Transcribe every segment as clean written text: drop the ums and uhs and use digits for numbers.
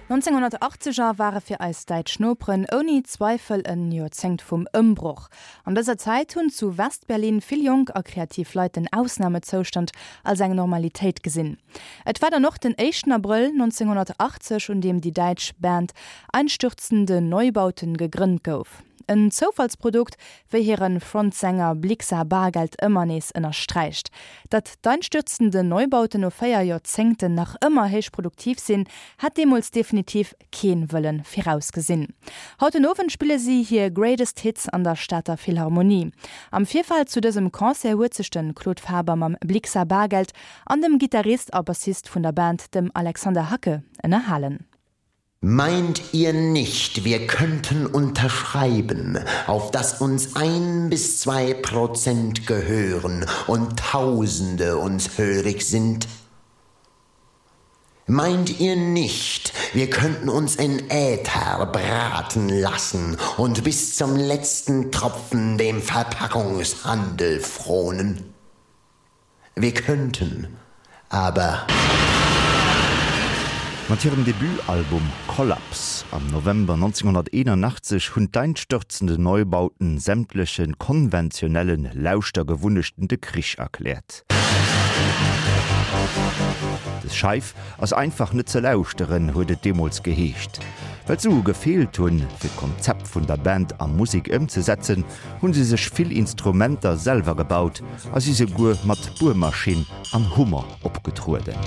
D'Nonzénghonnertachzeger ware fir eis däitsch Noperen ouni Zweifel en Joerzéngt vum Ëmbroch. An dëser Zäit hunn zu West-Berlin vill jonk a kreativ Leit den Ausnamezoustand als eng Normalitéit gesinn. Et war dann och den éischten Abrëll 1980, un deem déi däitsch Band Einstürzende Neubauten gegrënnt gouf. En Zoufallsprodukt, wéi hire Frontsänger Blixa Bargeld ëmmer nees ënnersträicht. Datt d'Einstürzende Neubauten no 4 Joerzéngten nach ëmmer héich produktiv sinn, hat deemools definitiv keen wëllen virausgesinn. Haut den Owend spille si hir Greatest Hits an der Stater Philharmonie. Am Virfeld zu dësem Concert huet sech de Claude Faber mam Blixa Bargeld an dem Gittarist a Bassist vun der Band, dem Alexander Hacke, ënnerhalen. Meint ihr nicht, wir könnten unterschreiben, auf dass uns ein bis zwei Prozent gehören und Tausende uns hörig sind? Meint ihr nicht, wir könnten uns in Äther braten lassen und bis zum letzten Tropfen dem Verpackungshandel fronen? Wir könnten, aber. Mat hirem Debutalbum Kollaps am November 1981 hunn d'Einstürzende Neubauten sämtleche konventionelle Lauschtergewunnechten de Krich erkläert. Des Scheif ass einfach net ze lauschteren, huet et deemools geheescht. Well d'Sue gefeelt hunn, fir d'Konzept vun der Band a Musek ëmzesetzen, hunn se sech vill Instrumenter selwer gebaut a si souguer mat Buermaschinn an Hummer opgetrueden.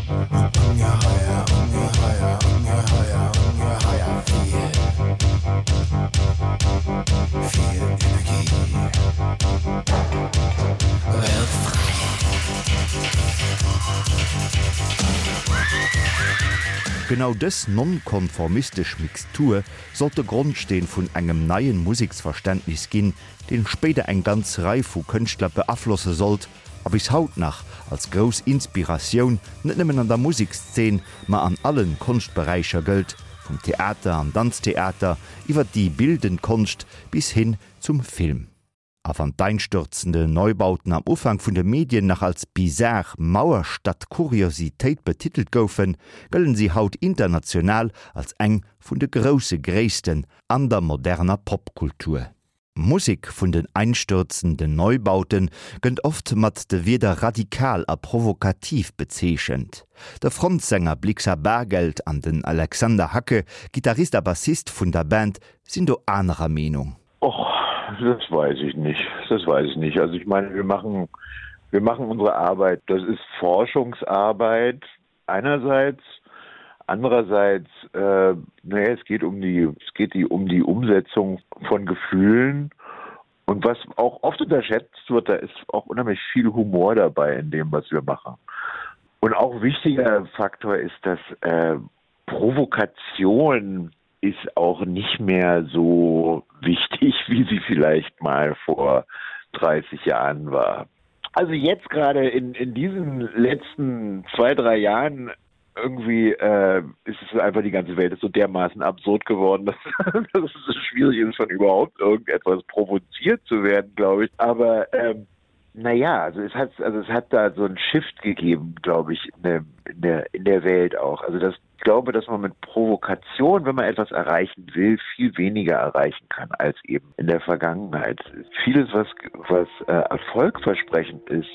Genau dës nonkonformistesch Mixtur sollt de Grondsteen vun engem neien Museksverständnis ginn, deen spéider eng ganz Rei vu Kënschtler beaflosse sollt a bis haut nach als grouss Inspiratioun net nëmmen an der Musekszeen, ma an allen Konschtberäicher gëllt, vum Theater an Danztheater iwwer déi bildend Konscht bis hin zum Film. A wann d'einstürzende Neubauten am Ufank vun de Medien nach als bizar Mauerstadt-Kuriositéit betitelt goufen, gëllen si haut international als eng vun de grousse Gréissten an der moderner Popkultur. D'Musek vun den einstürzenden Neubauten gënnt oft mat de Wierder radikal a provokativ bezeechent. De Frontsänger Blixa Bargeld an den Alexander Hacke, Gittarist a Bassist vun der Band, sinn do anerer Meenung. Och das weiß ich nicht das weiß ich nicht also ich meine wir machen wir machen unsere Arbeit das ist Forschungsarbeit einerseits andererseits äh, naja, es geht um die es geht die um die Umsetzung von Gefühlen und was auch oft unterschätzt wird da ist auch unheimlich viel Humor dabei in dem was wir machen und auch wichtiger Faktor ist dass äh, Provokation ist auch nicht mehr so wichtig, wie sie vielleicht mal vor 30 Jahren war. Also jetzt gerade in, in diesen letzten zwei, drei Jahren irgendwie äh, ist es einfach die ganze Welt ist so dermaßen absurd geworden, dass, dass es so schwierig ist, von überhaupt irgendetwas provoziert zu werden, glaube ich. Aber ähm, naja, also es hat, also es hat da so ein Shift gegeben, glaube ich, in der, in der, in der Welt auch. Also das ich glaube, dass man mit Provokation, wenn man etwas erreichen will, viel weniger erreichen kann als eben in der Vergangenheit. Vieles, was, was äh, erfolgversprechend ist,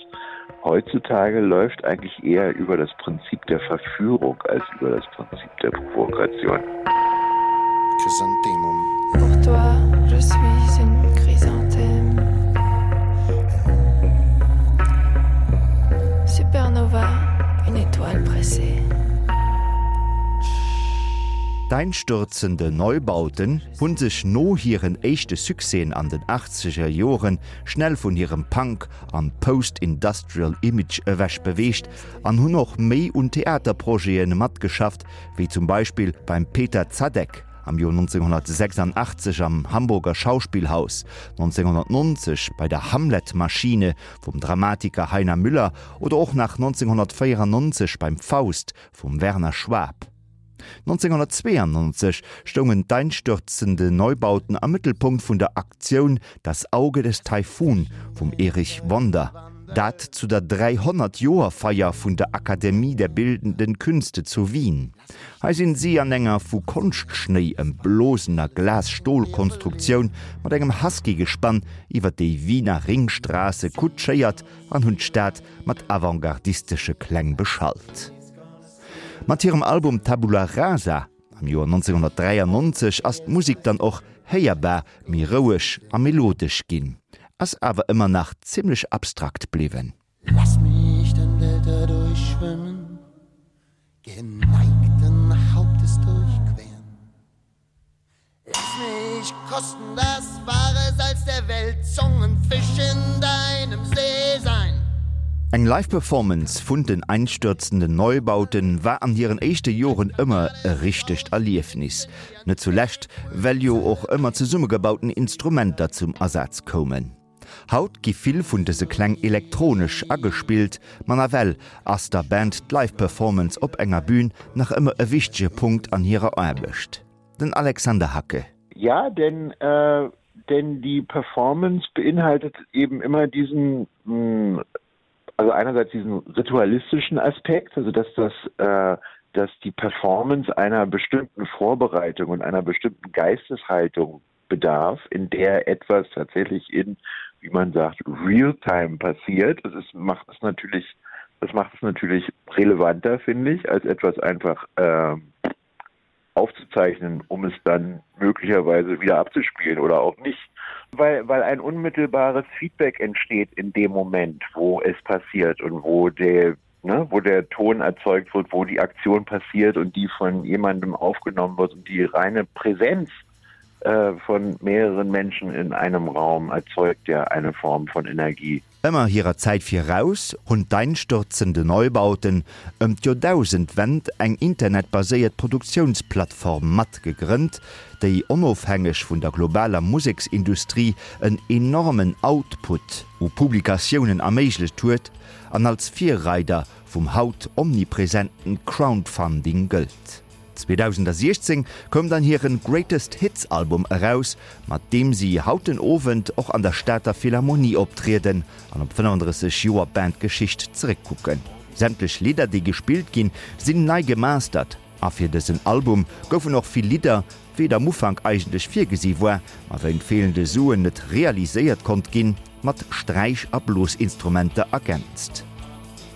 heutzutage läuft eigentlich eher über das Prinzip der Verführung als über das Prinzip der Provokation. Chrysanthemum. Pour toi, je suis une chrysanthème. Supernova, une étoile pressée. D'Einstürzende Neubauten hu sech no hiren éischte Succèsen an den achtzeger Jore schnell vun hirem Punk an Post-Industrial Image ewech beweegt an hunn och méi un Theaterprojete matgeschafft, wéi zum Beispill beim Peter Zadek am Joer 1986 am Hamburger Schauspielhaus, 1990 bei der Hamlet-Maschine vum Dramatiker Heiner Müller oder och nach 1994 beim Faust vum Werner Schwab. 1992 stoungen d'einstürzende Neubauten am Mëttelpunkt vun der Aktioun Das Auge des Taifun vum Erich Wonder. Dat zu der 300 Joer Feier vun der Akademie der Bildenden Künste zu Wien. Hei sinn si an enger vu Konschtschnéi ëmblosener Glas-Stol-Konstruktioun mat engem Husky-Gespann iwwer déi Wiener Ringstraße kutschéiert an hunn d'Stad mat avantgardistesche Kläng beschallt. Mat hirem Album Tabula Rasa am Joer 1993 ass d'Musek dann och héierbar méi roueg a melodesch ginn, ass awer ëmmer nach zimmlech abstrakt bliwwen. Lass mich den Delta durchschwimmen, geneigten Hauptes durchqueren. Lass mich kosten das wahre Salz der Welt, Zungenfisch in deinem See sein. Eng Live Performance vun den Einstürzenden Neubauten war an hiren éischte Joren ëmmer e richtegt Erliefnis, net zulescht well jo och ëmmer zesummegebauten Instrumenter zum Asaz koumen. Haut gi vill vun dëse Kläng elektronesch agespillt, ma nawell ass der Band d'Live Performance op enger Bün nach ëmmer e wichtege Punkt an hirer Aarbecht. Den Alexander Hacke. Ja, denn äh, denn die Performance beinhaltet eben immer diesen mh, also einerseits diesen ritualistischen Aspekt, also dass das äh, dass die Performance einer bestimmten Vorbereitung und einer bestimmten Geisteshaltung bedarf, in der etwas tatsächlich in, wie man sagt, Realtime passiert. Das ist, macht es natürlich, das macht es natürlich relevanter, finde ich, als etwas einfach äh, aufzuzeichnen, um es dann möglicherweise wieder abzuspielen oder auch nicht. Weil, weil ein unmittelbares Feedback entsteht in dem Moment, wo es passiert und wo der, ne, wo der Ton erzeugt wird, wo die Aktion passiert und die von jemandem aufgenommen wird und die reine Präsenz äh, von mehreren Menschen in einem Raum erzeugt ja eine Form von Energie. Ëmmer hirer Zäit viraus hunn d'Einstürzende Neubauten ëm d'Joerdausendwend eng internetbaséiert Produktiounsplattform mat gegrënnt, déi onofhängeg vun der globaler Museksindustrie en enormen Output u Publikatiounen erméiglecht huet an als Virreider vum haut omnipresenten Crowdfunding gëllt. 2016 koum dann hiren Greatest Hits Album eraus, mat deem si haut den Owend och an der Stater Philharmonie optrieden an op 35 Joer Bandgeschicht zeréckkucken. Sämtlech Lidder déi gespillt ginn, sinn nei gemastert a fir dësen Album goufen och vill Lidder, wéi et am Ufank eigentlech virgesi war, ma wéint feelende Suen net realiséiert konnt ginn, mat Sträich a Blosinstrumenter ergänzt.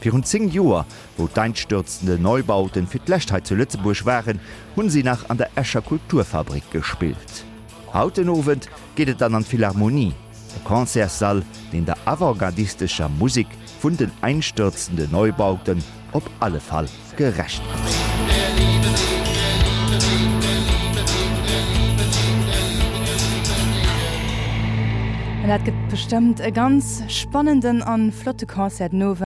Virun 10 Joer, wou d'Einstürzende Neubauten fir d'lescht hei zu Lëtzebuerg waren, hunn si nach an der Escher Kulturfabrik gespillt. Haut den Owend geet et dann an d'Philharmonie, e Concertssall, deen der avantgardistescher Musek vun den Einstürzende Neubauten op alle Fall gerecht gëtt. An dat gëtt bestëmmt e ganz spannenden an flotte Concert den Owend.